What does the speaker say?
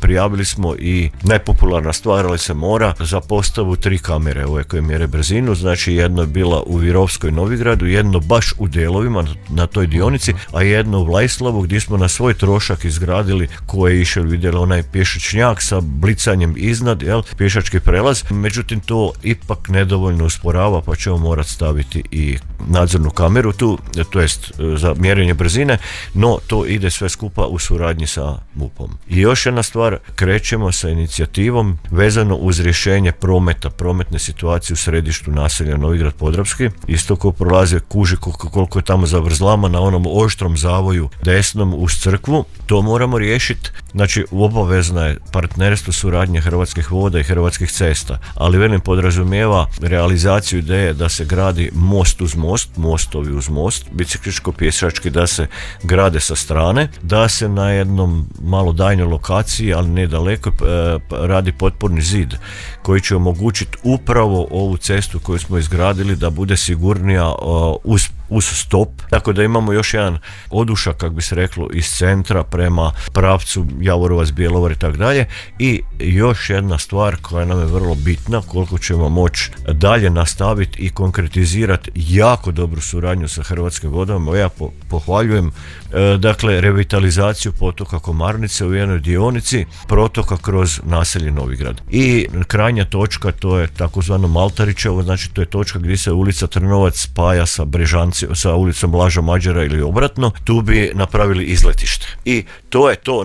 prijavili smo i najpopularna stvar, ali se mora, za postavu 3 kamere ove koje mjere brzinu, znači jedno je bila u Virovskoj Novigradu, jedno baš u Delovima na toj dionici, a jedno u Vlaislavu gdje smo na svoj trošak izgradili, ko je išao vidjeli onaj pješačnjak sa blicanjem iznad, pješački prelaz, međutim to ipak nedovoljno usporava, pa ćemo morati staviti i nadzornu kameru tu, to jest za mjerenje brzine, no to ide sve skupa u suradnji sa MUP-om. I još jedna stvar, krećemo sa inicijativom vezano uz rješenje prometne situacije u središtu naselja Novigrad Podravski. Isto ko prolaze kuži koliko je tamo zavrzlama na onom oštrom zavoju desnom uz crkvu, to moramo riješiti. Znači obavezna je partnerstvo, suradnje Hrvatskih voda i Hrvatskih cesta, ali velim podrazumijeva realizaciju ideje da se gradi most uz most, mostovi uz most, bicikličko-pješački da se grade sa strane, da se na jednom malo daljnjoj lokaciji, ali ne daleko, radi potporni zid koji će omogućiti upravo ovu cestu koju smo izgradili da bude sigurnija uz stop, tako da imamo još jedan odušak, kako bi se reklo, iz centra prema pravcu Javorovac, Bjelovar i tako dalje. I još jedna stvar koja nam je vrlo bitna, koliko ćemo moći dalje nastaviti i konkretizirati jako dobru suradnju sa Hrvatskim vodama. Ja pohvaljujem dakle revitalizaciju potoka Komarnice u jednoj dionici protoka kroz naselje Novigrad. I krajnja točka, to je takozvano Maltarićevo, znači to je točka gdje se ulica Trnovac spaja sa Brežanci, sa ulicom Blaža Mađara ili obratno, tu bi napravili izletište. I to je to.